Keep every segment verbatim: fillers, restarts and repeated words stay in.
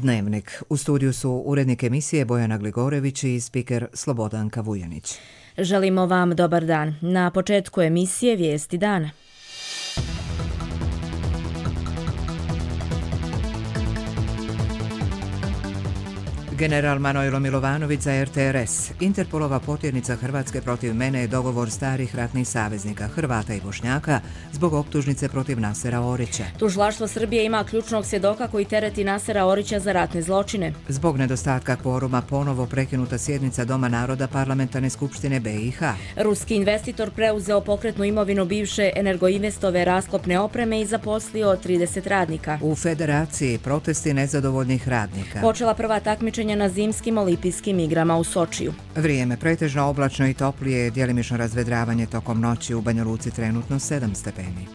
Dnevnik. U studiju su urednik emisije Bojana Gligorević i spiker Slobodanka Vujanić. Želimo vam dobar dan. Na početku emisije Vijesti dana. General Manojlo Milovanović za er te er es. Interpolova potjernica Hrvatske protiv mene je dogovor starih ratnih saveznika Hrvata i Bošnjaka zbog optužnice protiv Nasera Orića. Tužilaštvo Srbije ima ključnog svjedoka koji tereti Nasera Orića za ratne zločine. Zbog nedostatka kvoruma ponovo prekinuta sjednica Doma naroda Parlamentarne skupštine be i ha. Ruski investitor preuzeo pokretnu imovinu bivše Energoinvestove rasklopne opreme i zaposlio trideset radnika. U Federaciji protesti nezadovoljnih radnika. Počela prva takmičenja na zimskim olimpijskim igrama u Sočiju. Vrijeme pretežno oblačno i toplije, djelimično razvedravanje tokom noći, u Banja Luci trenutno sedam stepeni.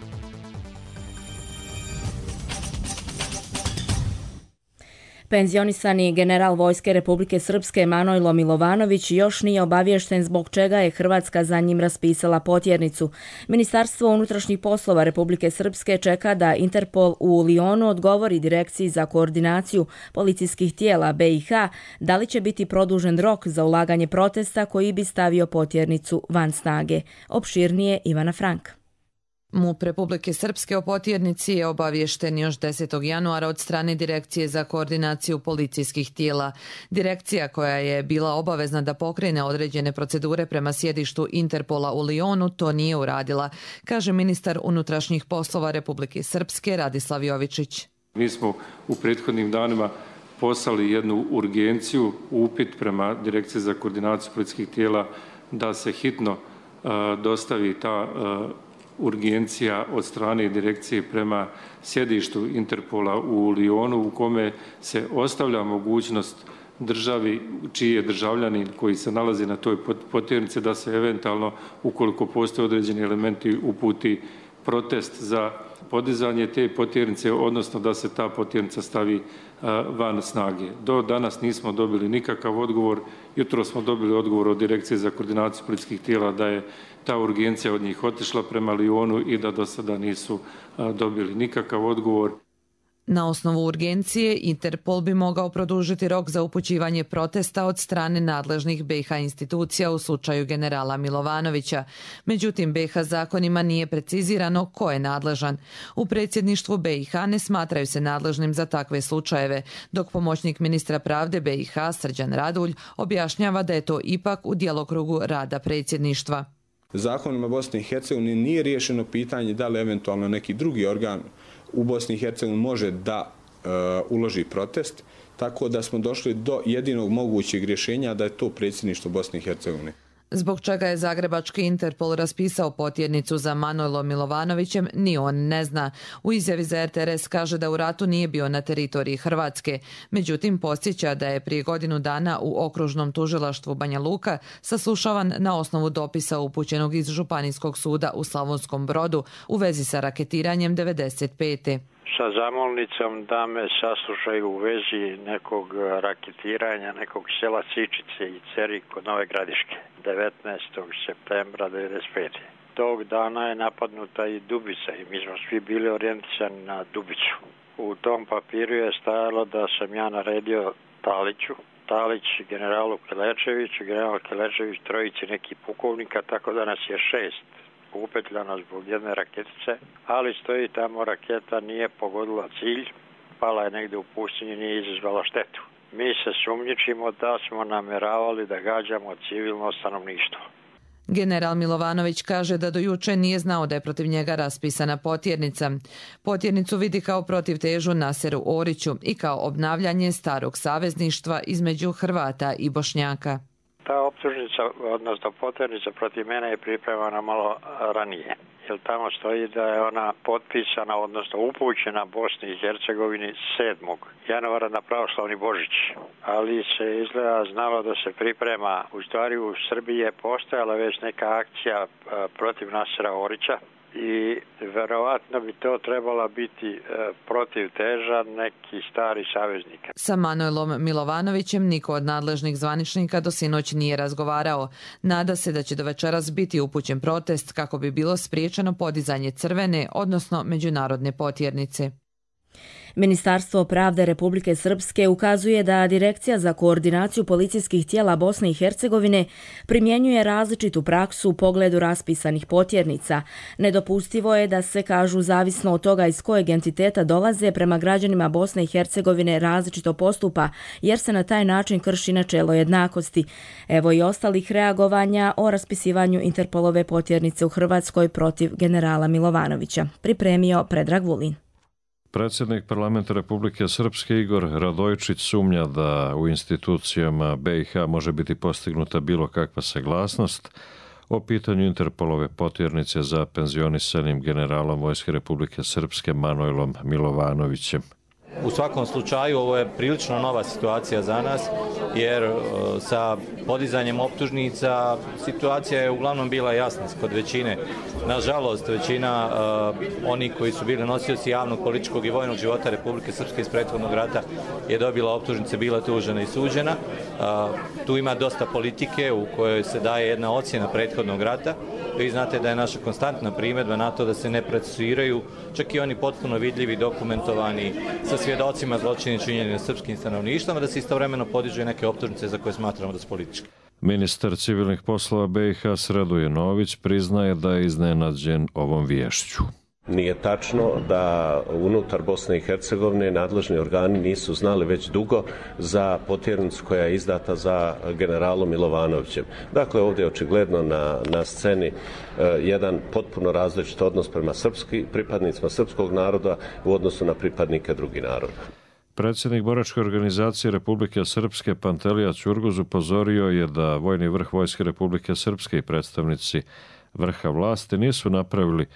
Penzionisani general Vojske Republike Srpske Manojlo Milovanović još nije obaviješten zbog čega je Hrvatska za njim raspisala potjernicu. Ministarstvo unutrašnjih poslova Republike Srpske čeka da Interpol u Lionu odgovori Direkciji za koordinaciju policijskih tijela be i ha da li će biti produžen rok za ulaganje protesta koji bi stavio potjernicu van snage. Opširnije Ivana Frank. MUP Republike Srpske o potjernici je obaviješten još desetog januara od strane Direkcije za koordinaciju policijskih tijela. Direkcija koja je bila obavezna da pokrene određene procedure prema sjedištu Interpola u Lionu to nije uradila, kaže ministar unutrašnjih poslova Republike Srpske Radislav Jovičić. Mi smo u prethodnim danima poslali jednu urgenciju, upit prema Direkciji za koordinaciju policijskih tijela da se hitno uh, dostavi ta uh, urgencija od strane direkcije prema sjedištu Interpola u Lionu u kome se ostavlja mogućnost državi čiji je državljanin koji se nalazi na toj potjernici da se eventualno, ukoliko postoje određeni elementi, uputi protest za podizanje te potjernice, odnosno da se ta potjernica stavi van snage. Do danas nismo dobili nikakav odgovor. Jutro smo dobili odgovor od Direkcije za koordinaciju policijskih tijela da je ta urgencija od njih otišla prema Lionu i da do sada nisu dobili nikakav odgovor. Na osnovu urgencije Interpol bi mogao produžiti rok za upućivanje protesta od strane nadležnih be i ha institucija u slučaju generala Milovanovića. Međutim, be i ha zakonima nije precizirano ko je nadležan. U predsjedništvu be i ha ne smatraju se nadležnim za takve slučajeve, dok pomoćnik ministra pravde be i ha Srđan Radulj objašnjava da je to ipak u djelokrugu rada predsjedništva. Zakonima Bosne i Hercegovine nije riješeno pitanje da li eventualno neki drugi organ u Bosni i Hercegovini može da e, uloži protest, tako da smo došli do jedinog mogućeg rješenja da je to predsjedništvo Bosne i Hercegovine. Zbog čega je zagrebački Interpol raspisao potjernicu za Manojlo Milovanovićem, ni on ne zna. U izjavi za er te er es kaže da u ratu nije bio na teritoriji Hrvatske. Međutim, podsjeća da je prije godinu dana u okružnom tužilaštvu Banja Luka saslušavan na osnovu dopisa upućenog iz Županijskog suda u Slavonskom Brodu u vezi sa raketiranjem devedeset pete sa zamolnicom da me saslušaju u vezi nekog raketiranja nekog sela Sičice i Ceri kod Nove Gradiške devetnaestog septembra devedeset pete Tog dana je napadnuta i Dubica i mi smo svi bili orijentisani na Dubicu. U tom papiru je stajalo da sam ja naredio Taliću, Talić generalu Kelečeviću, general Kelečević trojici nekih pukovnika, tako da nas je šest upetljano zbog jedne raketice, ali stoji tamo raketa nije pogodila cilj, pala je negdje u pustinji, nije izazvala štetu. Mi se sumnjičimo da smo nameravali da gađamo civilno stanovništvo. General Milovanović kaže da do juče nije znao da je protiv njega raspisana potjernica. Potjernicu vidi kao protivtežu Naseru Oriću i kao obnavljanje starog savezništva između Hrvata i Bošnjaka. Ta optužnica, odnosno potjernica protiv mene je pripremana malo ranije, jer tamo stoji da je ona potpisana, odnosno upućena Bosni i Hercegovini sedmog januara na pravoslavni Božić, ali se izgleda znalo da se priprema, u stvari u Srbiji je postojala već neka akcija protiv Nasera Orića i verovatno bi to trebala biti e, protiv teža neki stari saveznik. Sa Manojlom Milovanovićem niko od nadležnih zvaničnika do sinoć nije razgovarao. Nada se da će do večeras biti upućen protest kako bi bilo spriječeno podizanje crvene, odnosno međunarodne potjernice. Ministarstvo pravde Republike Srpske ukazuje da Direkcija za koordinaciju policijskih tijela Bosne i Hercegovine primjenjuje različitu praksu u pogledu raspisanih potjernica. Nedopustivo je da se, kažu, zavisno od toga iz kojeg entiteta dolaze, prema građanima Bosne i Hercegovine različito postupa, jer se na taj način krši načelo jednakosti. Evo i ostalih reagovanja o raspisivanju Interpolove potjernice u Hrvatskoj protiv generala Milovanovića. Pripremio Predrag Vulin. Predsjednik parlamenta Republike Srpske Igor Radojčić sumnja da u institucijama B i H može biti postignuta bilo kakva saglasnost o pitanju Interpolove potjernice za penzionisanim generalom Vojske Republike Srpske Manojlom Milovanovićem. U svakom slučaju ovo je prilično nova situacija za nas, jer sa podizanjem optužnica situacija je uglavnom bila jasna kod većine. Nažalost, većina uh, oni koji su bili nosioci javnog, političkog i vojnog života Republike Srpske iz prethodnog rata je dobila optužnice, bila tužena i suđena. Uh, tu ima dosta politike u kojoj se daje jedna ocjena prethodnog rata. Vi znate da je naša konstantna primjedba na to da se ne procesuiraju čak i oni potpuno vidljivi, dokumentovani sa svjedocima zločini činjeni na srpskim stanovništvom, da se istovremeno podižu neke optužnice za koje smatramo da su političke. Ministar civilnih poslova B i H Sredoje Nović priznaje da je iznenađen ovom viješću. Nije tačno da unutar Bosne i Hercegovine nadležni organi nisu znali već dugo za potjernicu koja je izdata za generalom Milovanovićem. Dakle, ovdje je očigledno na, na sceni e, jedan potpuno različit odnos prema srpski, pripadnicima srpskog naroda u odnosu na pripadnike drugih naroda. Predsjednik boračke organizacije Republike Srpske Pantelija Ćurguz upozorio je da vojni vrh Vojske Republike Srpske i predstavnici vrha vlasti nisu napravili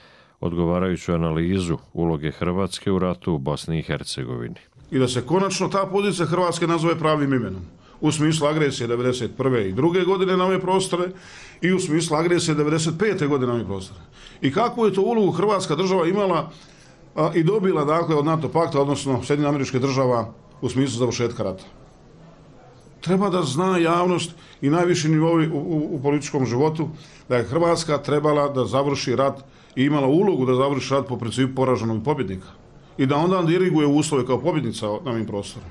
odgovarajuću analizu uloge Hrvatske u ratu u Bosni i Hercegovini. I da se konačno ta pozicija Hrvatske nazove pravim imenom. U smislu agresije devedeset prve i druge godine na ove prostore i u smislu agresije devedeset pete godine na ove prostore. I kakvu je to ulogu Hrvatska država imala a, i dobila, dakle, od NATO pakta, odnosno Sjedinjenih Američkih Država u smislu završetka rata. Treba da zna javnost i najviši nivovi u, u, u političkom životu da je Hrvatska trebala da završi rat i imala ulogu da završi rat po principu poraženog pobjednika i da onda diriguje uslove kao pobjednica na ovim prostorima.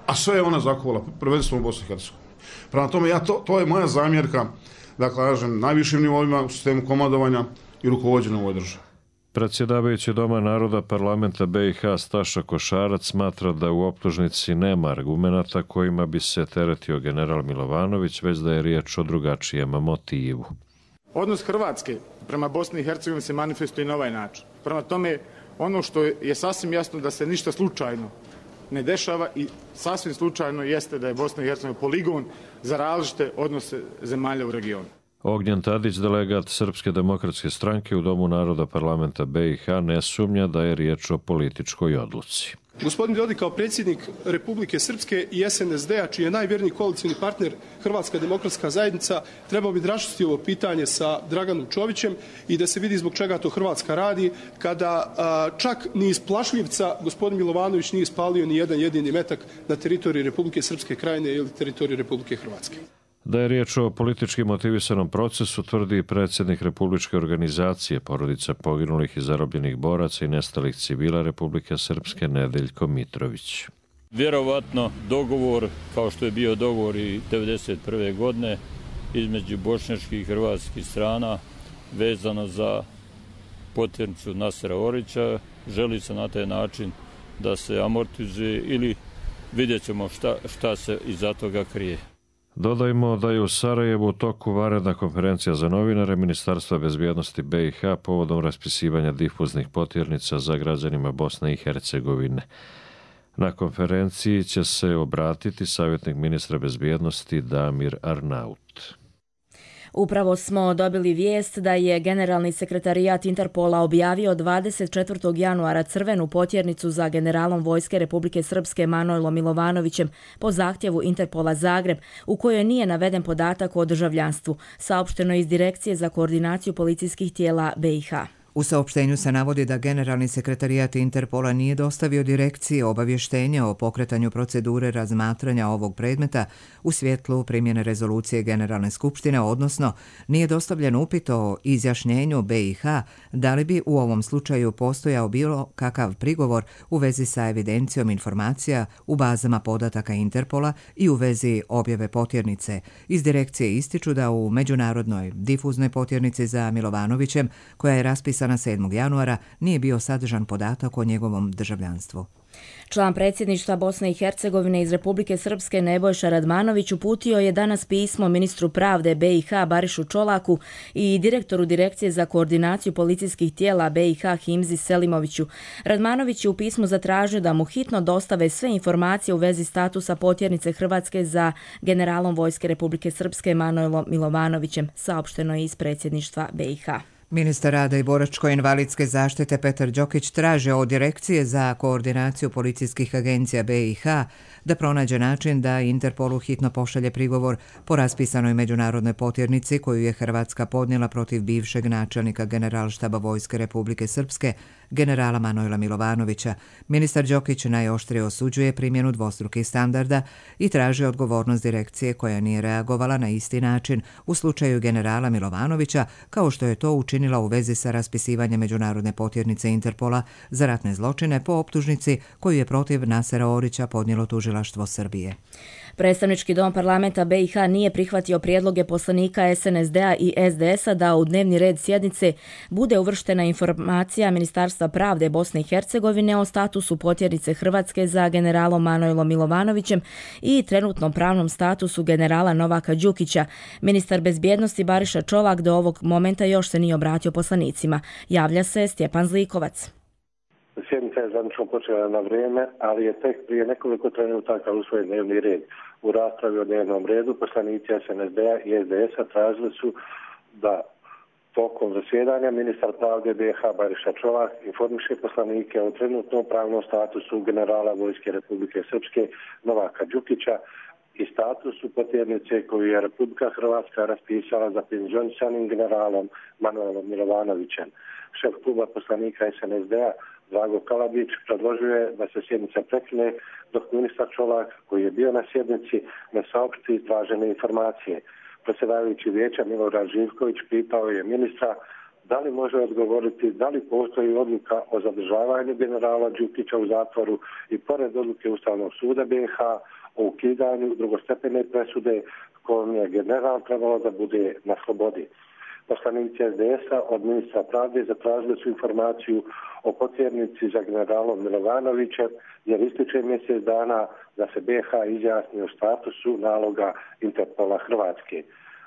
A sve je ona zakovala, prvenstveno u Bosni i Hercegovini. Prema tome, ja to, to je moja zamjerka, da kažem, najvišim nivoima u sistemu komandovanja i rukovođenja u ovoj državi. Predsjedavajući Doma naroda parlamenta B i H Staša Košarac smatra da u optužnici nema argumenata kojima bi se teretio general Milovanović, već da je riječ o drugačijem motivu. Odnos Hrvatske prema Bosni i Hercegovini se manifestuje na ovaj način. Prema tome, ono što je sasvim jasno da se ništa slučajno ne dešava i sasvim slučajno jeste da je Bosna i Hercegovina poligon za različite odnose zemalja u regionu. Ognjen Tadić, delegat Srpske demokratske stranke u Domu naroda parlamenta B i H, ne sumnja da je riječ o političkoj odluci. Gospodin Dodik kao predsjednik Republike Srpske i S N S D-a, čiji je najvjerniji koalicijni partner Hrvatska demokratska zajednica, trebao bi raščistiti ovo pitanje sa Draganom Čovićem i da se vidi zbog čega to Hrvatska radi, kada a, čak ni iz Plašljivca gospodin Milovanović nije ispalio ni jedan jedini metak na teritoriji Republike Srpske krajine ili teritoriji Republike Hrvatske. Da je riječ o politički motivisanom procesu, tvrdi predsjednik Republičke organizacije porodica poginulih i zarobljenih boraca i nestalih civila Republike Srpske Nedeljko Mitrović. Vjerovatno dogovor, kao što je bio dogovor i devedeset prve godine između bošnjačkih i hrvatskih strana vezano za potjernicu Nasera Orića, želi se na taj način da se amortizuje ili vidjet ćemo šta, šta se iza toga krije. Dodajmo da je u Sarajevu u toku vanredna konferencija za novinare Ministarstva bezbjednosti B i H povodom raspisivanja difuznih potjernica za građanima Bosne i Hercegovine. Na konferenciji će se obratiti savjetnik ministra bezbjednosti Damir Arnaut. Upravo smo dobili vijest da je Generalni sekretarijat Interpola objavio dvadeset četvrtog januara crvenu potjernicu za generalom Vojske Republike Srpske Manojlom Milovanovićem po zahtjevu Interpola Zagreb, u kojoj nije naveden podatak o državljanstvu, saopšteno iz Direkcije za koordinaciju policijskih tijela B i H. U saopštenju se navodi da generalni sekretarijat Interpola nije dostavio direkciji obavještenje o pokretanju procedure razmatranja ovog predmeta u svjetlu primjene rezolucije Generalne skupštine, odnosno nije dostavljen upit o izjašnjenju B i H da li bi u ovom slučaju postojao bilo kakav prigovor u vezi sa evidencijom informacija u bazama podataka Interpola i u vezi objave potjernice. Iz direkcije ističu da u međunarodnoj difuznoj potjernici za Milovanovićem, koja je raspisana sedmog januara, nije bio sadržan podatak o njegovom državljanstvu. Član predsjedništva Bosne i Hercegovine iz Republike Srpske Nebojša Radmanović uputio je danas pismo ministru pravde B i H Barišu Čolaku i direktoru Direkcije za koordinaciju policijskih tijela B i H Himzi Selimoviću. Radmanović je u pismu zatražio da mu hitno dostave sve informacije u vezi statusa potjernice Hrvatske za generalom Vojske Republike Srpske Manojlom Milovanovićem, saopšteno je iz predsjedništva B i H. Ministar rada i boračko-invalidske zaštite Petar Đokić traže od Direkcije za koordinaciju policijskih agencija B i H da pronađe način da Interpolu hitno pošalje prigovor po raspisanoj međunarodnoj potjernici koju je Hrvatska podnijela protiv bivšeg načelnika Generalštaba Vojske Republike Srpske, generala Manojla Milovanovića. Ministar Đokić najoštrije osuđuje primjenu dvostrukih standarda i traži odgovornost direkcije koja nije reagovala na isti način u slučaju generala Milovanovića, kao što je to učinila u vezi sa raspisivanjem međunarodne potjernice Interpola za ratne zločine po optužnici koju je protiv Nasera Orića podnijelo tužilaštvo Srbije. Predstavnički dom parlamenta B i H nije prihvatio prijedloge poslanika S N S D-a i S D S-a da u dnevni red sjednice bude uvrštena informacija Ministarstva pravde Bosne i Hercegovine o statusu potjernice Hrvatske za generalom Manojlom Milovanovićem i trenutnom pravnom statusu generala Novaka Đukića. Ministar bezbjednosti Bariša Čolak do ovog momenta još se nije obratio poslanicima. Javlja se Stjepan Zlikovac. Sjednica je zvanično počela na vrijeme, ali je tek prije nekoliko trenutaka usvojen dnevni red. U raspravi o dnevnom redu poslanici S N S D-a i S D S-a tražili su da tokom zasjedanja ministar pravde B i H Bariša Čolak informiše poslanike o trenutnom pravnom statusu generala Vojske Republike Srpske Novaka Đukića i statusu potjernice koju je Republika Hrvatska raspisala za penzionisanim generalom Manojlom Milovanovićem. Šef kluba poslanika S N S D-a Drago Kalabić predložuje da se sjednica prekine dok ministar Čolak, koji je bio na sjednici, ne saopšti tražene informacije. Predsjedavajući vijeća Milorad Živković pitao je ministra da li može odgovoriti da li postoji odluka o zadržavanju generala Đukića u zatvoru i pored odluke Ustavnog suda B i H o ukidanju drugostepene presude kojom je general trebalo da bude na slobodi. Poslanici S D S-a od ministra pravde zatražili su informaciju o potjernici za generalom Milovanovićem jer ističe mjesec dana da se B i H izjasni o statusu naloga Interpola Hrvatske.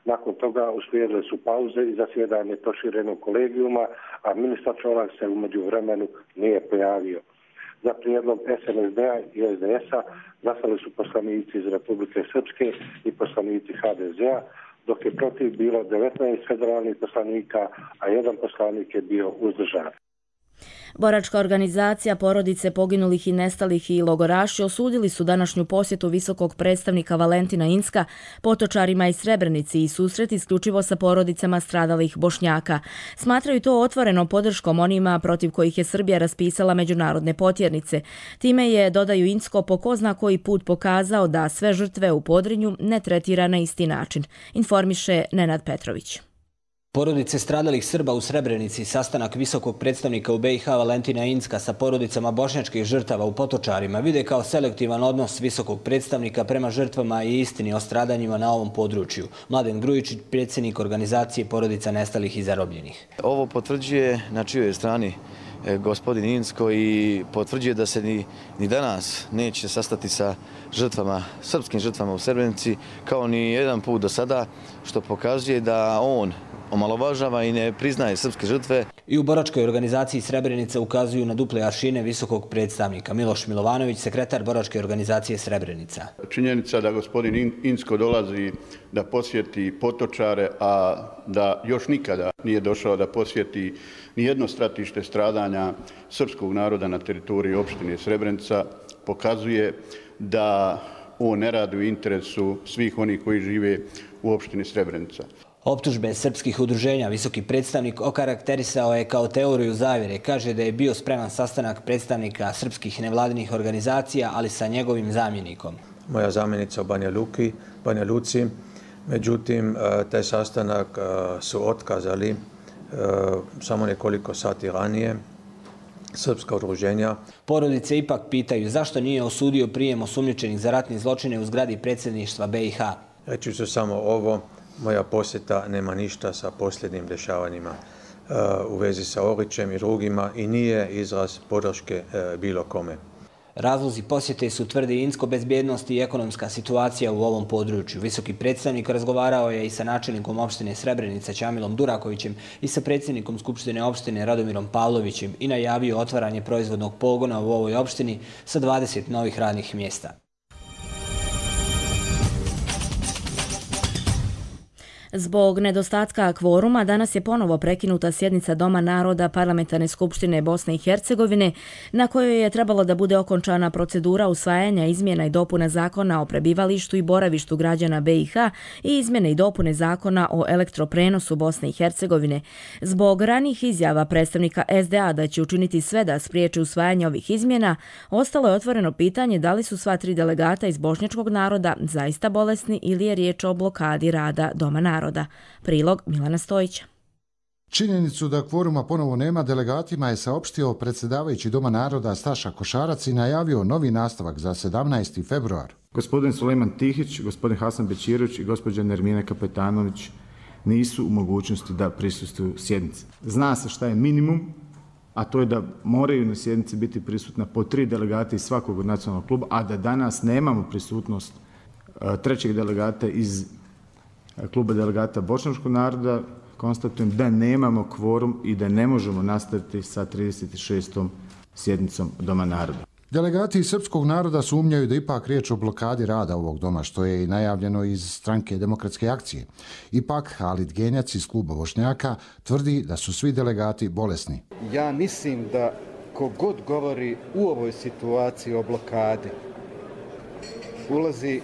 Nakon toga uslijedile su pauze i zasjedanje proširenog kolegijuma, a ministar Čolak se u međuvremenu nije pojavio. Za prijedlog S N S D-a i S D S-a glasali su poslanici iz Republike Srpske i poslanici H D Z-a, dok je protiv bilo devetnaest federalnih poslanika, a jedan poslanik je bio uzdržan. Boračka organizacija porodice poginulih i nestalih i logoraši osudili su današnju posjetu visokog predstavnika Valentina Incka potočarima iz Srebrenici i susret isključivo sa porodicama stradalih Bošnjaka. Smatraju to otvorenom podrškom onima protiv kojih je Srbija raspisala međunarodne potjernice. Time je, dodaju Incko, po ko zna koji put pokazao da sve žrtve u Podrinju ne tretira na isti način, informiše Nenad Petrović. Porodice stradalih Srba u Srebrenici, sastanak visokog predstavnika u B i H Valentina Incka sa porodicama bošnjačkih žrtava u Potočarima vide kao selektivan odnos visokog predstavnika prema žrtvama i istini o stradanjima na ovom području. Mladen Grujičić, predsjednik organizacije porodica nestalih i zarobljenih. Ovo potvrđuje na čijoj strani gospodin Incko i potvrđuje da se ni, ni danas neće sastati sa žrtvama, srpskim žrtvama u Srebrenici kao ni jedan put do sada, što pokazuje da on omalovažava i ne priznaje srpske žrtve. I u boračkoj organizaciji Srebrenica ukazuju na duple aršine visokog predstavnika. Miloš Milovanović, sekretar boračke organizacije Srebrenica. Činjenica da gospodin Incko dolazi da posjeti Potočare, a da još nikada nije došao da posjeti nijedno stratište stradanja srpskog naroda na teritoriji opštine Srebrenica, pokazuje da on ne radi u interesu svih onih koji žive u opštini Srebrenica. Optužbe srpskih udruženja visoki predstavnik okarakterisao je kao teoriju zavjere. Kaže da je bio spreman sastanak predstavnika srpskih nevladinih organizacija, ali sa njegovim zamjenikom. Moja zamjenica u Banja Luki, Banja Luci, međutim, taj sastanak su otkazali samo nekoliko sati ranije srpska udruženja. Porodice ipak pitaju zašto nije osudio prijem osumnjičenih za ratne zločine u zgradi predsjedništva B i H. Reći ću samo ovo, moja posjeta nema ništa sa posljednjim dešavanjima u vezi sa Orićem i drugima i nije izraz podrške bilo kome. Razlozi posjete su, tvrdi Insko, bezbjednost i ekonomska situacija u ovom području. Visoki predstavnik razgovarao je i sa načelnikom opštine Srebrenica Ćamilom Durakovićem i sa predsjednikom Skupštine opštine Radomirom Pavlovićem i najavio otvaranje proizvodnog pogona u ovoj opštini sa dvadeset novih radnih mjesta. Zbog nedostatka kvoruma danas je ponovo prekinuta sjednica Doma naroda Parlamentarne skupštine Bosne i Hercegovine, na kojoj je trebalo da bude okončana procedura usvajanja izmjena i dopuna zakona o prebivalištu i boravištu građana B i H i izmjene i dopune zakona o elektroprenosu Bosne i Hercegovine. Zbog ranih izjava predstavnika S D A da će učiniti sve da spriječi usvajanje ovih izmjena, ostalo je otvoreno pitanje da li su sva tri delegata iz bošnjačkog naroda zaista bolesni ili je riječ o blokadi rada Doma naroda. Prilog Milana Stojića. Činjenicu da kvoruma ponovo nema delegatima je saopštio predsjedavajući Doma naroda Staša Košarac i najavio novi nastavak za sedamnaesti februar. Gospodin Sulejman Tihić, gospodin Hasan Bećirović i gospođa Nermina Kapetanović nisu u mogućnosti da prisustvuju sjednici. Zna se šta je minimum, a to je da moraju na sjednici biti prisutna po tri delegata iz svakog od nacionalnog kluba, a da danas nemamo prisutnost trećeg delegata iz kluba delegata bošnjačkog naroda, konstatujem da nemamo kvorum i da ne možemo nastaviti sa trideset šestom sjednicom Doma naroda. Delegati srpskog naroda sumnjaju da ipak riječ o blokadi rada ovog doma, što je i najavljeno iz stranke Demokratske akcije. Ipak, Halid Genjac iz kluba Bošnjaka tvrdi da su svi delegati bolesni. Ja mislim da kogod govori u ovoj situaciji o blokadi ulazi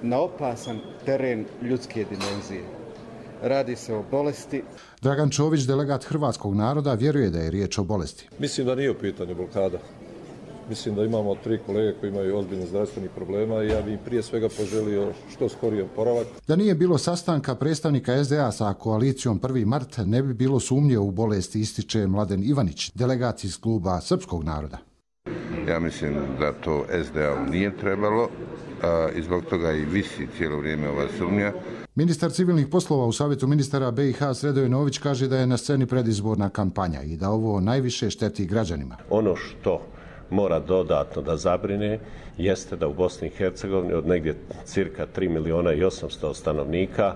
na opasan teren ljudske dimenzije. Radi se o bolesti. Dragan Čović, delegat hrvatskog naroda, vjeruje da je riječ o bolesti. Mislim da nije u pitanju blokada. Mislim da imamo tri kolege koji imaju ozbiljne zdravstvenih problema i ja bih prije svega poželio što skoriji oporavak. Da nije bilo sastanka predstavnika S D A sa koalicijom prvi mart, ne bi bilo sumnje u bolesti, ističe Mladen Ivanić, delegat iz kluba srpskog naroda. Ja mislim da to S D A nije trebalo i zbog toga i visi cijelo vrijeme ova sumnja. Ministar civilnih poslova u Savjetu ministara B i H Sredoje Nović kaže da je na sceni predizborna kampanja i da ovo najviše šteti građanima. Ono što mora dodatno da zabrine jeste da u Bosni i Hercegovini od negdje cirka tri miliona i osamsto stanovnika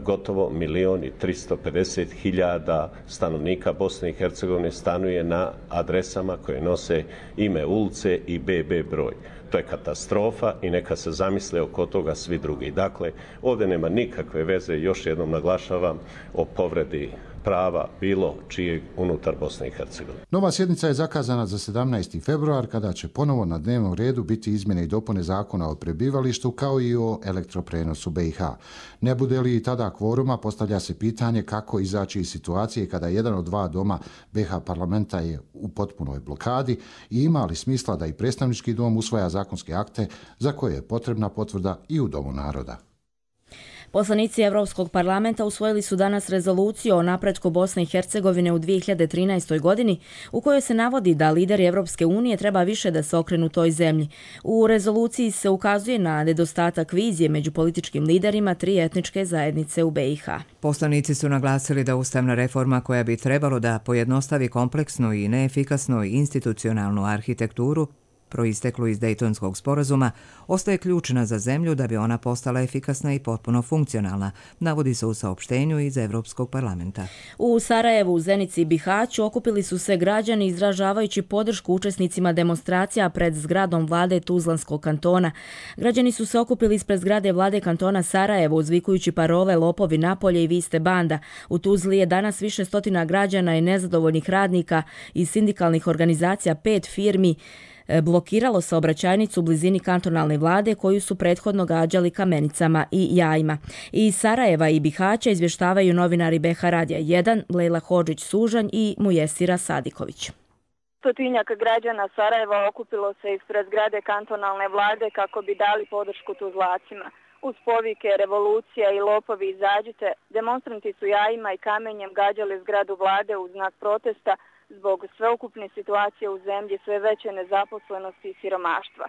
gotovo milion i tristo pedeset hiljada stanovnika Bosne i Hercegovine stanuje na adresama koje nose ime ulice i B B broj. To je katastrofa i neka se zamisle oko toga svi drugi. Dakle, ovdje nema nikakve veze, još jednom naglašavam, o povredi prava bilo čijeg unutar Bosne i Hercegovine. Nova sjednica je zakazana za sedamnaesti februar, kada će ponovo na dnevnom redu biti izmjene i dopune zakona o prebivalištu kao i o elektroprenosu B i H. Ne bude li tada kvoruma, postavlja se pitanje kako izaći iz situacije kada jedan od dva doma B i H parlamenta je u potpunoj blokadi i ima li smisla da i predstavnički dom usvaja zakonske akte za koje je potrebna potvrda i u Domu naroda. Poslanici Evropskog parlamenta usvojili su danas rezoluciju o napretku Bosne i Hercegovine u dvije hiljade trinaestoj. godini, u kojoj se navodi da lideri Evropske unije treba više da se okrenu toj zemlji. U rezoluciji se ukazuje na nedostatak vizije među političkim liderima tri etničke zajednice u B i H. Poslanici su naglasili da ustavna reforma koja bi trebalo da pojednostavi kompleksnu i neefikasnu institucionalnu arhitekturu proisteklu iz Dejtonskog sporazuma, ostaje ključna za zemlju da bi ona postala efikasna i potpuno funkcionalna, navodi se u saopštenju iz Evropskog parlamenta. U Sarajevu, Zenici i Bihaću okupili su se građani izražavajući podršku učesnicima demonstracija pred zgradom vlade Tuzlanskog kantona. Građani su se okupili ispred zgrade vlade kantona Sarajevo uzvikujući parole "Lopovi napolje" i "Vi ste banda". U Tuzli je danas više stotina građana i nezadovoljnih radnika iz sindikalnih organizacija pet firmi blokiralo saobraćajnicu u blizini kantonalne vlade koju su prethodno gađali kamenicama i jajima. Iz Sarajeva i Bihaća izvještavaju novinari B H Radija jedan, Lejla Hodžić-Sužanj i Mujesira Sadiković. Stotinjak građana Sarajeva okupilo se ispred zgrade kantonalne vlade kako bi dali podršku Tuzlacima. Uz povike revolucija i lopovi izađite, demonstranti su jajima i kamenjem gađali zgradu vlade u znak protesta zbog sveukupne situacije u zemlji, sve veće nezaposlenosti i siromaštva.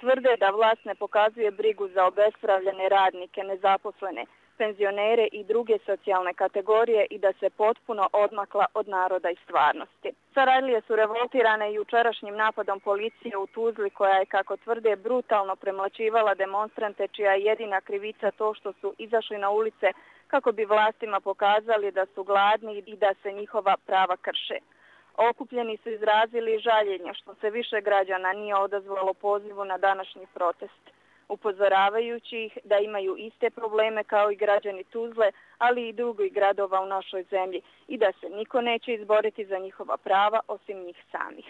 Tvrde da vlast ne pokazuje brigu za obespravljene radnike, nezaposlene, penzionere i druge socijalne kategorije i da se potpuno odmakla od naroda i stvarnosti. Sarajlije su revoltirane jučerašnjim napadom policije u Tuzli koja je, kako tvrde, brutalno premlaćivala demonstrante čija je jedina krivica to što su izašli na ulice kako bi vlastima pokazali da su gladni i da se njihova prava krše. Okupljeni su izrazili žaljenje što se više građana nije odazvalo pozivu na današnji protest, upozoravajući ih da imaju iste probleme kao i građani Tuzle, ali i drugih gradova u našoj zemlji i da se niko neće izboriti za njihova prava osim njih samih.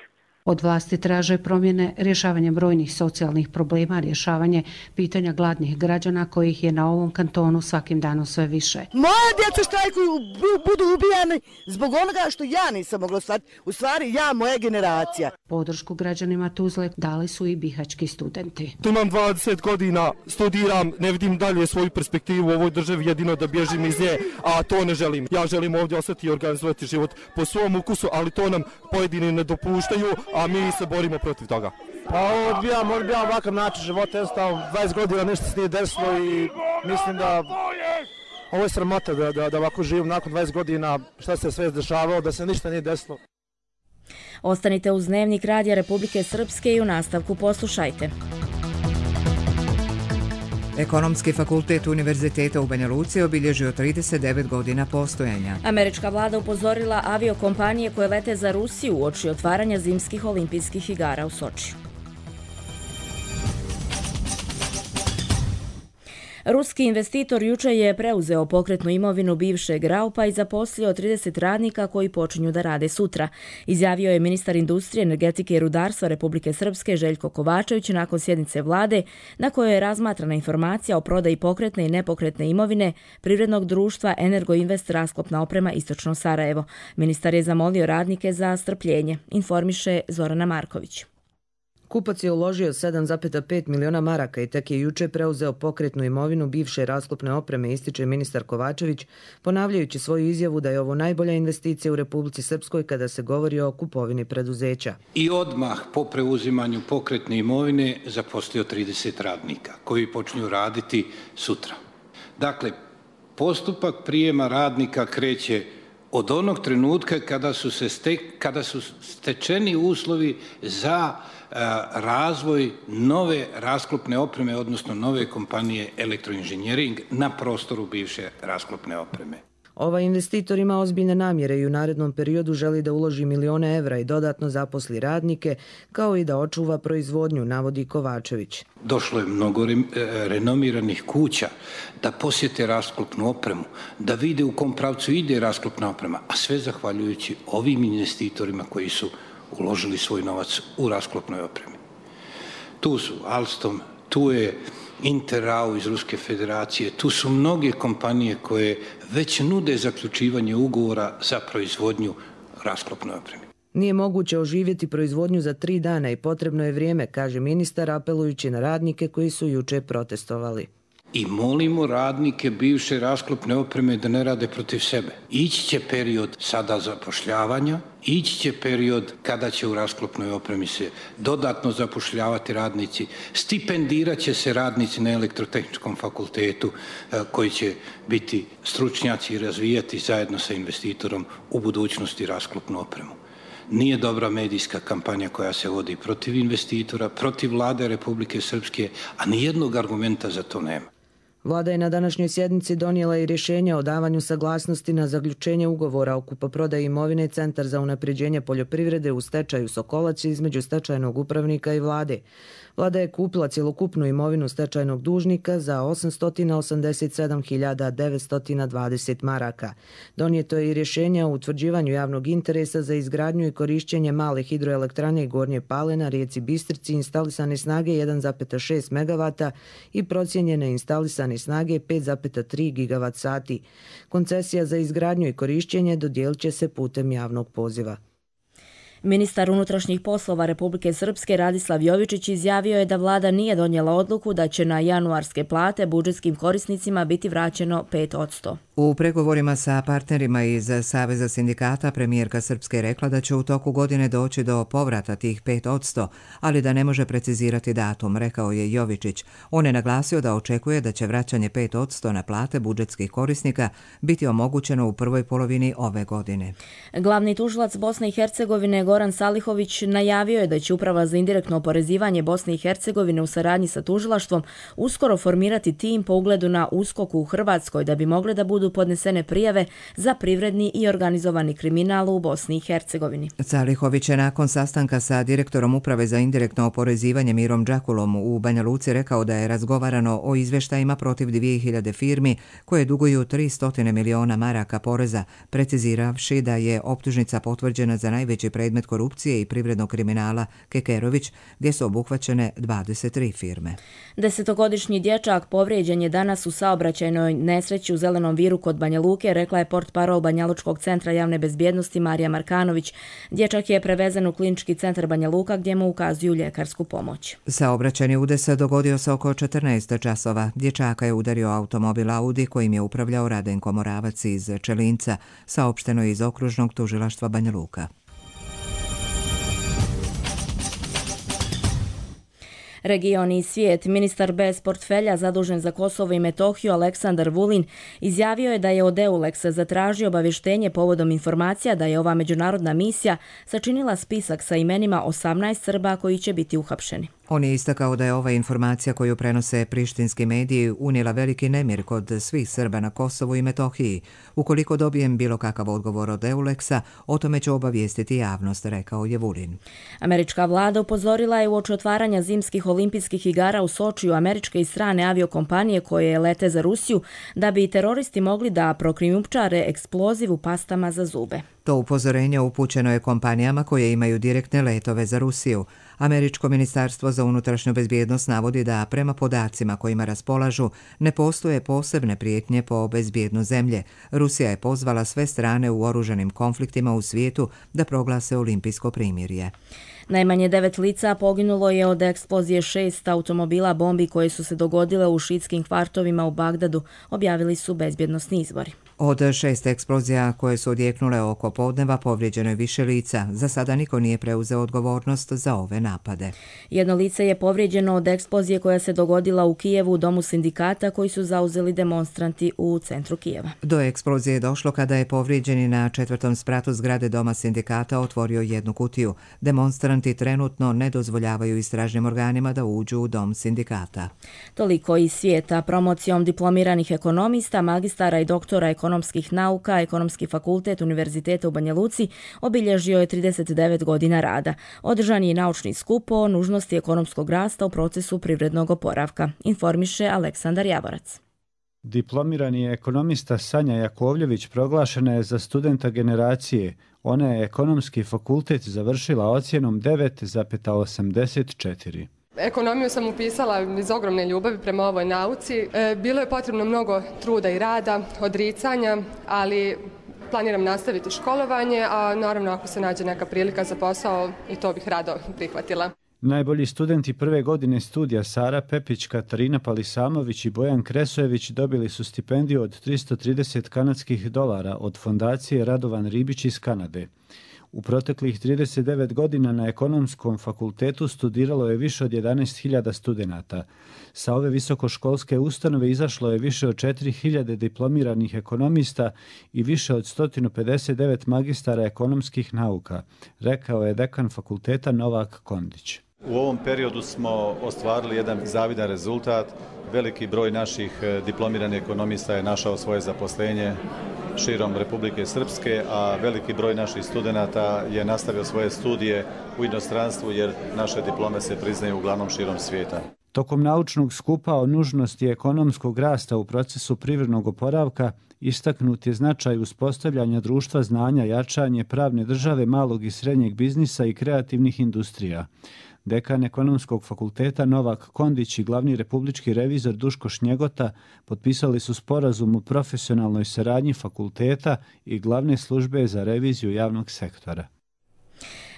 Od vlasti traže promjene, rješavanje brojnih socijalnih problema, rješavanje pitanja gladnih građana kojih je na ovom kantonu svakim danom sve više. Moja djeca štrajkuju, budu ubijani zbog onoga što ja nisam mogla stvariti. U stvari ja, moja generacija. Podršku građanima Tuzle dali su i bihaćki studenti. Tu imam dvadeset godina, studiram, ne vidim dalje svoju perspektivu u ovoj državi, jedino da bježim iz nje, a to ne želim. Ja želim ovdje ostati i organizovati život po svom ukusu, ali to nam pojedini ne dopuštaju, a mi se borimo protiv toga. Pa odbijam, odbijam ovakav način života, jednostavno dvadeset godina nešto se nije desilo i mislim da ovo je sramota da, da, da ovako živim nakon dvadeset godina, šta se sve dešavalo, da se ništa nije desilo. Ostanite uz Dnevnik Radija Republike Srpske i u nastavku poslušajte. Ekonomski fakultet Univerziteta u Banja Luci obilježio trideset devet godina postojanja. Američka vlada upozorila aviokompanije koje lete za Rusiju uoči otvaranja zimskih olimpijskih igara u Sočiju. Ruski investitor juče je preuzeo pokretnu imovinu bivšeg Raupa i zaposlio trideset radnika koji počinju da rade sutra, izjavio je ministar industrije, energetike i rudarstva Republike Srpske Željko Kovačević nakon sjednice vlade na kojoj je razmatrana informacija o prodaji pokretne i nepokretne imovine privrednog društva Energoinvest rasklopna oprema Istočno Sarajevo. Ministar je zamolio radnike za strpljenje, informiše Zorana Marković. Kupac je uložio sedam zarez pet miliona maraka i tek je juče preuzeo pokretnu imovinu bivše rasklopne opreme, ističe ministar Kovačević, ponavljajući svoju izjavu da je ovo najbolja investicija u Republici Srpskoj kada se govori o kupovini preduzeća. I odmah po preuzimanju pokretne imovine zaposlio trideset radnika koji počinju raditi sutra. Dakle, postupak prijema radnika kreće od onog trenutka kada su, se stek, kada su stečeni uslovi za razvoj nove rasklopne opreme, odnosno nove kompanije Elektroinženjering na prostoru bivše rasklopne opreme. Ovaj investitor ima ozbiljne namjere i u narednom periodu želi da uloži milione evra i dodatno zaposli radnike, kao i da očuva proizvodnju, navodi Kovačević. Došlo je mnogo re, renomiranih kuća da posjete rasklopnu opremu, da vide u kom pravcu ide rasklopna oprema, a sve zahvaljujući ovim investitorima koji su uložili svoj novac u rasklopnoj opremi. Tu su Alstom, tu je Interrau iz Ruske federacije, tu su mnoge kompanije koje već nude zaključivanje ugovora za proizvodnju rasklopnoj opremi. Nije moguće oživjeti proizvodnju za tri dana i potrebno je vrijeme, kaže ministar, apelujući na radnike koji su juče protestovali. I molimo radnike bivše rasklopne opreme da ne rade protiv sebe. Ići će period sada zapošljavanja, ići će period kada će u rasklopnoj opremi se dodatno zapošljavati radnici, stipendirat će se radnici na Elektrotehničkom fakultetu koji će biti stručnjaci i razvijati zajedno sa investitorom u budućnosti rasklopnu opremu. Nije dobra medijska kampanja koja se vodi protiv investitora, protiv vlade Republike Srpske, a nijednog argumenta za to nema. Vlada je na današnjoj sjednici donijela i rješenje o davanju saglasnosti na zaključenje ugovora o kupoprodaji imovine Centar za unapređenje poljoprivrede u stečaju Sokolac između stečajnog upravnika i vlade. Vlada je kupila cjelokupnu imovinu stečajnog dužnika za osamsto osamdeset sedam hiljada devetsto dvadeset maraka. Donijeto je i rješenje o utvrđivanju javnog interesa za izgradnju i korišćenje male hidroelektrane Gornje Pale na rijeci Bistrici instalisane snage jedan zarez šest megavata i procijenjene instalisane snage pet zarez tri gigavat sati. Koncesija za izgradnju i korišćenje dodijelit će se putem javnog poziva. Ministar unutrašnjih poslova Republike Srpske Radislav Jovičić izjavio je da vlada nije donijela odluku da će na januarske plate budžetskim korisnicima biti vraćeno pet posto. U pregovorima sa partnerima iz Saveza sindikata premijerka Srpske je rekla da će u toku godine doći do povrata tih pet posto, ali da ne može precizirati datum, rekao je Jovičić. On je naglasio da očekuje da će vraćanje pet posto na plate budžetskih korisnika biti omogućeno u prvoj polovini ove godine. Glavni tužilac Bosne i Hercegovine Goran Salihović najavio je da će Uprava za indirektno oporezivanje Bosne i Hercegovine u saradnji sa tužilaštvom uskoro formirati tim po ugledu na U S K O K u Hrvatskoj da bi mogle da budu podnesene prijave za privredni i organizovani kriminal u Bosni i Hercegovini. Salihović je nakon sastanka sa direktorom Uprave za indirektno oporezivanje Mirom Đakulom u Banja Luci rekao da je razgovarano o izveštajima protiv dvije hiljade firmi koje duguju tristo miliona maraka poreza, preciziravši da je optužnica potvrđena za najveći predmet korupcije i privrednog kriminala Kekerović, gdje su obuhvaćene dvadeset tri firme. Desetogodišnji dječak povrijeđen je danas u saobraćajnoj nesreći u Zelenom viru kod Banja Luke, rekla je portparol Banjalučkog centra javne bezbjednosti Marija Markanović. Dječak je prevezen u klinički centar Banja Luka gdje mu ukazuju ljekarsku pomoć. Saobraćajni udes dogodio se oko četrnaest časova. Dječaka je udario automobil Audi kojim je upravljao Radenko Moravac iz Čelinca, saopšteno je iz okružnog tužilaštva Banja Luka. Region i svijet. Ministar bez portfelja zadužen za Kosovo i Metohiju Aleksandar Vulin izjavio je da je od EULEX-a zatražio obavještenje povodom informacija da je ova međunarodna misija sačinila spisak sa imenima osamnaest Srba koji će biti uhapšeni. On je istakao da je ova informacija koju prenose prištinski mediji unijela veliki nemir kod svih Srba na Kosovu i Metohiji. Ukoliko dobijem bilo kakav odgovor od EULEX-a, o tome ću obavijestiti javnost, rekao je Vulin. Američka vlada upozorila je uoči otvaranja zimskih olimpijskih igara u Sočiju američke i strane aviokompanije koje lete za Rusiju da bi teroristi mogli da prokrijumčare eksploziv u pastama za zube. To upozorenje upućeno je kompanijama koje imaju direktne letove za Rusiju. Američko ministarstvo za unutrašnju bezbjednost navodi da prema podacima kojima raspolažu ne postoje posebne prijetnje po bezbjednost zemlje. Rusija je pozvala sve strane u oružanim konfliktima u svijetu da proglase olimpijsko primirje. Najmanje devet lica poginulo je od eksplozije šest automobila bombi koje su se dogodile u šiitskim kvartovima u Bagdadu, objavili su bezbjednosni izvori. Od šest eksplozija koje su odjeknule oko podneva povrijeđeno je više lica. Za sada niko nije preuzeo odgovornost za ove napade. Jedno lice je povrijeđeno od eksplozije koja se dogodila u Kijevu u domu sindikata koji su zauzeli demonstranti u centru Kijeva. Do eksplozije je došlo kada je povrijeđeni na četvrtom spratu zgrade doma sindikata otvorio jednu kutiju. Demonstranti trenutno ne dozvoljavaju istražnim organima da uđu u dom sindikata. Toliko iz svijeta. Promocijom diplomiranih ekonomista, magistara i doktora ekonomskih nauka, Ekonomski fakultet Univerziteta u Banja Luci obilježio je trideset devet godina rada. Održan je naučni skup o nužnosti ekonomskog rasta u procesu privrednog oporavka, informiše Aleksandar Javorac. Diplomirani ekonomista Sanja Jakovljević proglašena je za studenta generacije. Ona je Ekonomski fakultet završila ocjenom devet zarez osamdeset četiri. Ekonomiju sam upisala iz ogromne ljubavi prema ovoj nauci. Bilo je potrebno mnogo truda i rada, odricanja, ali planiram nastaviti školovanje, a naravno ako se nađe neka prilika za posao i to bih rado prihvatila. Najbolji studenti prve godine studija Sara Pepić, Katarina Palisamović i Bojan Kresojević dobili su stipendiju od tristo trideset kanadskih dolara od fondacije Radovan Ribić iz Kanade. U proteklih trideset devet godina na Ekonomskom fakultetu studiralo je više od jedanaest hiljada studenata. Sa ove visokoškolske ustanove izašlo je više od četiri hiljade diplomiranih ekonomista i više od sto pedeset devet magistara ekonomskih nauka, rekao je dekan fakulteta Novak Kondić. U ovom periodu smo ostvarili jedan zavidan rezultat. Veliki broj naših diplomiranih ekonomista je našao svoje zaposlenje širom Republike Srpske, a veliki broj naših studenata je nastavio svoje studije u inostranstvu jer naše diplome se priznaju uglavnom širom svijeta. Tokom naučnog skupa o nužnosti ekonomskog rasta u procesu privrednog oporavka istaknut je značaj uspostavljanja društva znanja, jačanje pravne države, malog i srednjeg biznisa i kreativnih industrija. Dekan Ekonomskog fakulteta Novak Kondić i glavni republički revizor Duško Šnjegota potpisali su sporazum o profesionalnoj saradnji fakulteta i glavne službe za reviziju javnog sektora.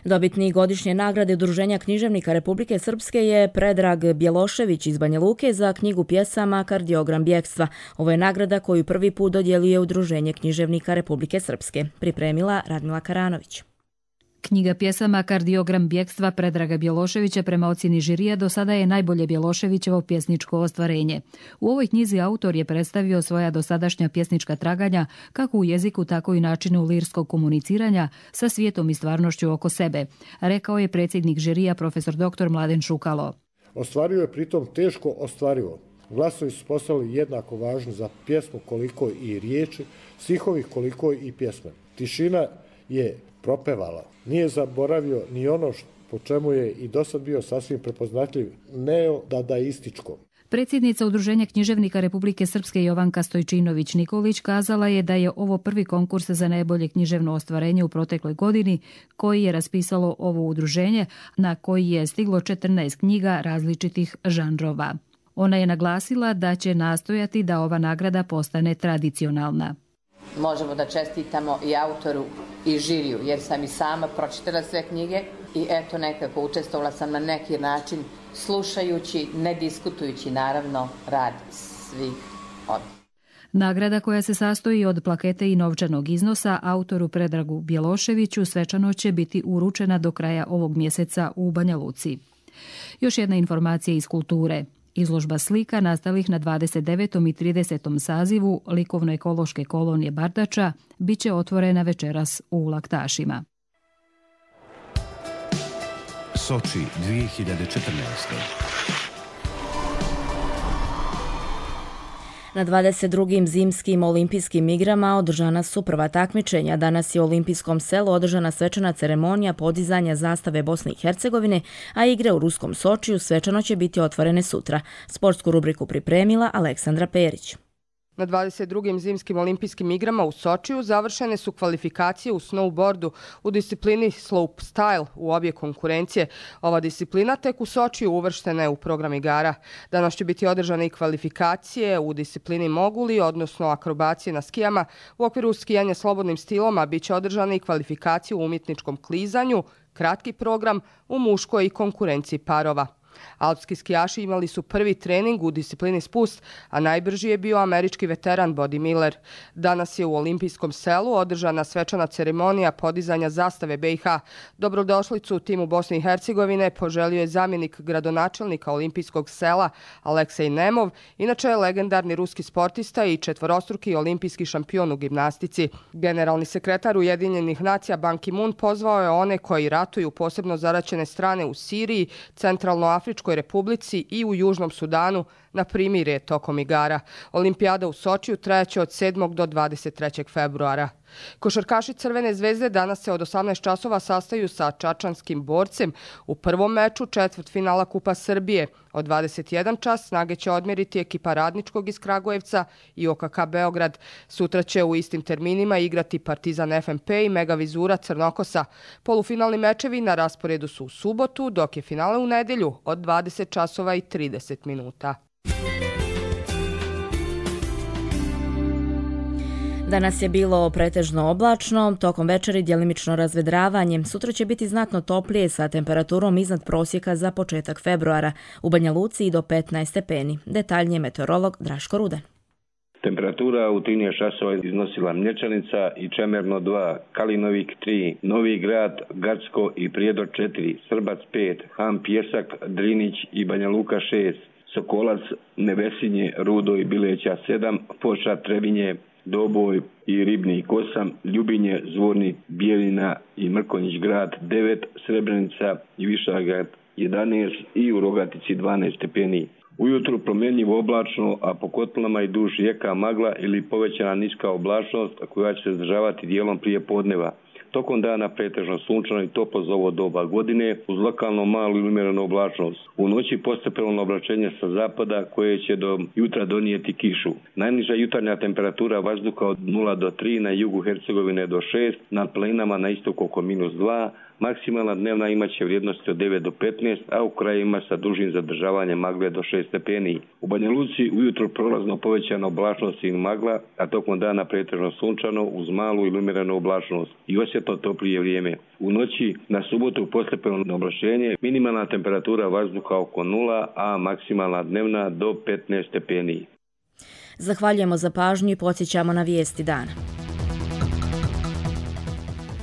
Dobitnik godišnje nagrade Udruženja književnika Republike Srpske je Predrag Bjelošević iz Banja Luke za knjigu pjesama Kardiogram bjekstva. Ovo je nagrada koju prvi put dodjeljuje Udruženje književnika Republike Srpske. Pripremila Radmila Karanović. Knjiga pjesama Kardiogram bjekstva Predraga Bjeloševića prema ocjeni žirija do sada je najbolje Bjeloševićevo pjesničko ostvarenje. U ovoj knjizi autor je predstavio svoja dosadašnja pjesnička traganja kako u jeziku, tako i načinu lirskog komuniciranja sa svijetom i stvarnošću oko sebe, rekao je predsjednik žirija profesor doktor Mladen Šukalo. Ostvario je pritom teško ostvarivo. Glasovi su postali jednako važni za pjesmu koliko i riječi, stihovi koliko i pjesme. Tišina je propevala. Nije zaboravio ni ono po čemu je i dosad bio sasvim prepoznatljiv neodadaističko. Predsjednica Udruženja književnika Republike Srpske Jovanka Stojčinović-Nikolić kazala je da je ovo prvi konkurs za najbolje književno ostvarenje u protekloj godini koji je raspisalo ovo udruženje, na koji je stiglo četrnaest knjiga različitih žanrova. Ona je naglasila da će nastojati da ova nagrada postane tradicionalna. Možemo da čestitamo i autoru i žiriju, jer sam i sama pročitala sve knjige i eto nekako učestvovala sam na neki način slušajući, ne diskutujući naravno rad svih ovih. Nagrada koja se sastoji od plakete i novčanog iznosa autoru Predragu Bjeloševiću svečano će biti uručena do kraja ovog mjeseca u Banja Luci. Još jedna informacija iz kulture. Izložba slika nastalih na dvadeset devetom i tridesetom sazivu likovno-ekološke kolonije Bardača bit će otvorena večeras u Laktašima. Soči dvije hiljade četrnaeste. Na dvadeset drugim zimskim olimpijskim igrama održana su prva takmičenja. Danas je u Olimpijskom selu održana svečana ceremonija podizanja zastave Bosne i Hercegovine, a igre u ruskom Sočiju svečano će biti otvorene sutra. Sportsku rubriku pripremila Aleksandra Perić. Na dvadeset drugim zimskim olimpijskim igrama u Sočiju završene su kvalifikacije u snowboardu u disciplini slope style u obje konkurencije. Ova disciplina tek u Sočiju uvrštena je u program igara. Danas će biti održane i kvalifikacije u disciplini moguli, odnosno akrobacije na skijama. U okviru skijanja slobodnim stilom, a bit će održane i kvalifikacije u umjetničkom klizanju, kratki program u muškoj i konkurenciji parova. Alpski skijaši imali su prvi trening u disciplini spust, a najbrži je bio američki veteran Body Miller. Danas je u Olimpijskom selu održana svečana ceremonija podizanja zastave B i H. Dobrodošlicu u timu Bosne i Hercegovine poželio je zamjenik gradonačelnika Olimpijskog sela Aleksej Nemov, inače je legendarni ruski sportista i četvorostruki olimpijski šampion u gimnastici. Generalni sekretar Ujedinjenih nacija Ban Ki-moon pozvao je one koji ratuju posebno zaraćene strane u Siriji, centralno Afričkoj republici i u Južnom Sudanu na primirje tokom igara. Olimpijada u Sočiju trajaće od sedmog do dvadeset trećeg februara. Košarkaši Crvene zvezde danas se od osamnaest časova sastaju sa čačanskim Borcem u prvom meču četvrtfinala Kupa Srbije. Od dvadeset jedan čas snage će odmjeriti ekipa Radničkog iz Kragujevca i O K K Beograd. Sutra će u istim terminima igrati Partizan F M P i Mega Vizura Crnokosa. Polufinalni mečevi na rasporedu su u subotu, dok je finale u nedjelju od dvadeset časova i trideset minuta. Danas je bilo pretežno oblačno, tokom večeri djelimično razvedravanje. Sutra će biti znatno toplije sa temperaturom iznad prosjeka za početak februara. U Banja Luci i do petnaest stepeni. Detaljnije meteorolog Draško Rudan. Temperatura u trinaest časova iznosila Mlječanica i Čemerno dva, Kalinovik tri, Novi Grad, Gacko i Prijedor četiri, Srbac pet, Han Pjesak, Drinić i Banja Luka šest, Sokolac, Nevesinje, Rudo i Bileća sedam, Foča, Trebinje, Doboj i Ribnik osam, Ljubinje, Zvornik, Bijeljina i Mrkonjić grad devet, Srebrenica i Višagrad jedanaest i u Rogatici dvanaest stepeni. Ujutru promjenjivo oblačno, a po kotlinama i duž jeka magla ili povećana niska oblačnost koja će se zadržavati dijelom prije podneva. Tokom dana pretežno sunčano i toplo za ovo doba godine uz lokalno malu ili umjerenu oblačnost. U noći postepeno oblačenje sa zapada koje će do jutra donijeti kišu. Najniža jutarnja temperatura vazduha od nula do tri, na jugu Hercegovine do šest, na planinama na istoku oko minus dva, maksimalna dnevna imaće vrijednosti od devet do petnaest, a u krajevima sa dužim zadržavanjem magle do šest stepeni. U Banja Luci ujutro prolazno povećana oblačnost i magla, a tokom dana pretežno sunčano uz malu ili umjerenu oblačnost i osjetno toplije vrijeme. U noći na subotu postepeno oblačenje, minimalna temperatura vazduha oko nula, a maksimalna dnevna do petnaest stepeni. Zahvaljujemo za pažnju i podsjećamo na vijesti dana.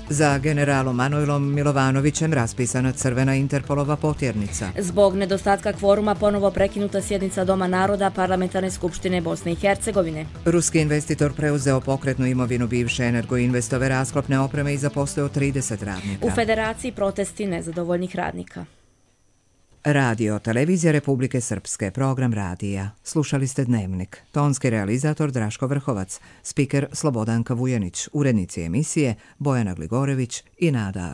Za generalom Manojlom Milovanovićem raspisana crvena Interpolova potjernica. Zbog nedostatka kvoruma ponovo prekinuta sjednica Doma naroda Parlamentarne skupštine Bosne i Hercegovine. Ruski investitor preuzeo pokretnu imovinu bivše Energoinvestove rasklopne opreme i zaposlio trideset radnika. U Federaciji protesti nezadovoljnih radnika. Radio, televizija Republike Srpske, program radija. Slušali ste Dnevnik. Tonski realizator Draško Vrhovac, spiker Slobodanka Vujanić, urednici emisije Bojana Gligorević i Nada Arl.